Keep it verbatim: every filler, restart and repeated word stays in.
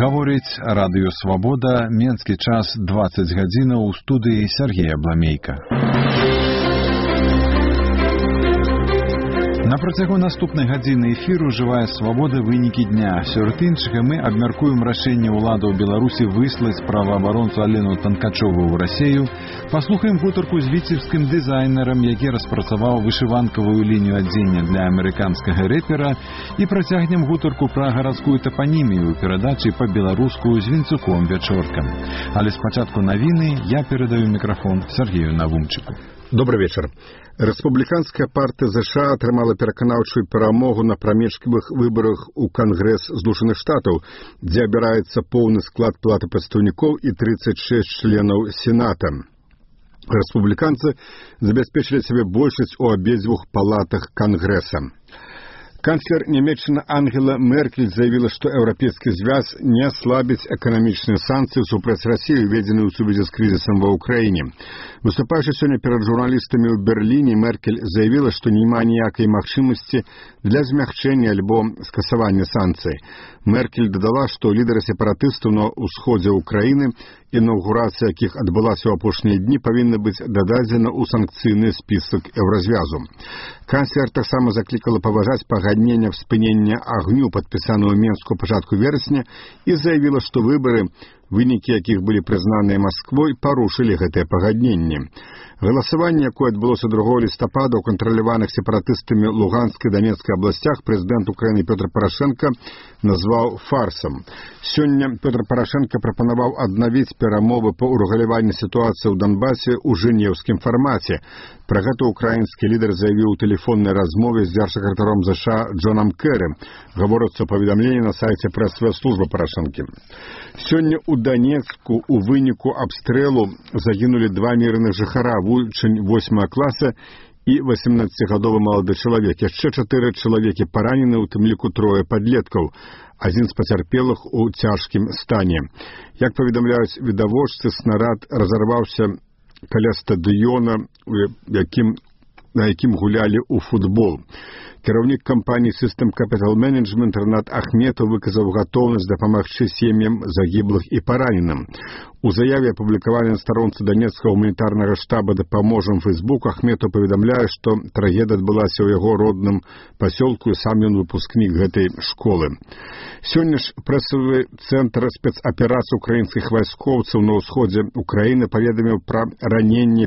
Гаворыць радыё «Свабода», менскі час дваццаць гадзінаў, у студыі Сергей Абламейка. На працягу наступнай гадзіны эфіру «Жывая свабода. Вынікі дня». Сярод іншага мы абмяркуем рашэнне ўладаў Беларусі выслаць праваабаронцу Алену Танкачову ў Расею, паслухаем гутарку з віцебскім дызайнерам, які распрацаваў вышыванкавую лінію адзення для амерыканскага рэпера, і працягнем гутарку пра гарадскую тапанімію ў перадачы па-беларуску з Вінцуком Вячоркам. Але спачатку навіны я перадаю мікрафон Сергею Навумчыку. Добрый вечер. Рэспубліканская партыя ЗША атрымала пераканаўчую перамогу на прамежкавых выбарах у Кангрэс Злучаных Штатаў, дзе абіраецца поўны склад палаты прадстаўнікоў і тридцать шесть членаў Сената. Рэспубліканцы забяспечылі сабе большасць у абедзвюх палатах Кангрэса. Канцлер Нямецчыны Ангела Меркель заявила, что Европейский Союз не ослабит экономичные санкции супраць России, введенные в связи с кризисом во Украине. Выступающая сегодня перед журналистами в Берлине, Меркель заявила, что няма ніякай магчымасці для змягчэння альбо скасавання санкцый. Меркель додала, что лидеры сепаратыстаў на ўсходзе Украины, інаўгурацыя якіх адбылася ў апошнія дні, павінна быць дададзена ў санкцыйны спісак Еўразвязу. Канцлер таксама заклікала паважаць пагаднення спынення агню, падпісанага ў Менску ў пачатку верасня, і заявіла, што выбары, вынікі якіх былі прызнаныя Масквой, парушылі гэтае пагадненне. Галасаванне, якое адбылося другого лістапада ў кантраляваных сепаратыстамі Луганскай і Донецкай абласцях, прэзідэнт Украіны Пётр Парашенко назваў фарсам. Сёння Пётр Парашенко прапанаваў аднавіць перамовы па ўрэгуляванні сітуацыі ў Донбасе ў жэнеўскім фармаце. Пра гэта украінскі лідар заявіў у тэлефоннай размове з дзяржсакратаром ЗША Джонам Кэры. Гаворыцца ў паведамленні на сайце прэс-службы Парашэнкі. Сёння ў Донецку у выніку абстрэлу загінулі два мірных жыхара, вучань восьмага класа і восемнаццацігадовы малады чалавек. Яшчэ чатыры чалавекі паранены, у тым ліку трое падлеткаў. Адзін з пацярпелых у цяжкім стане. Як паведамляюць відавочцы, снарад разарваўся каля стадыёна, якім, на якім гулялі ў футбол. Кіраўнік кампаніі System Capital Management Ренат Ахметов выказаў гатоўнасць дапамагчы сем'ям загіблых і параненым. У заяве, апублікаванай на старонцы Донецкага гуманітарнага штаба «Дапаможам» Фейсбук, Ахметов паведамляе, што трагедыя адбылася ў яго родным пасёлку, і сам ён выпускнік гэтай школы. Сёння ж прэсавы цэнтр спецаперацый украінскіх вайскоўцаў на ўсходзе Украіны паведаміў пра раненне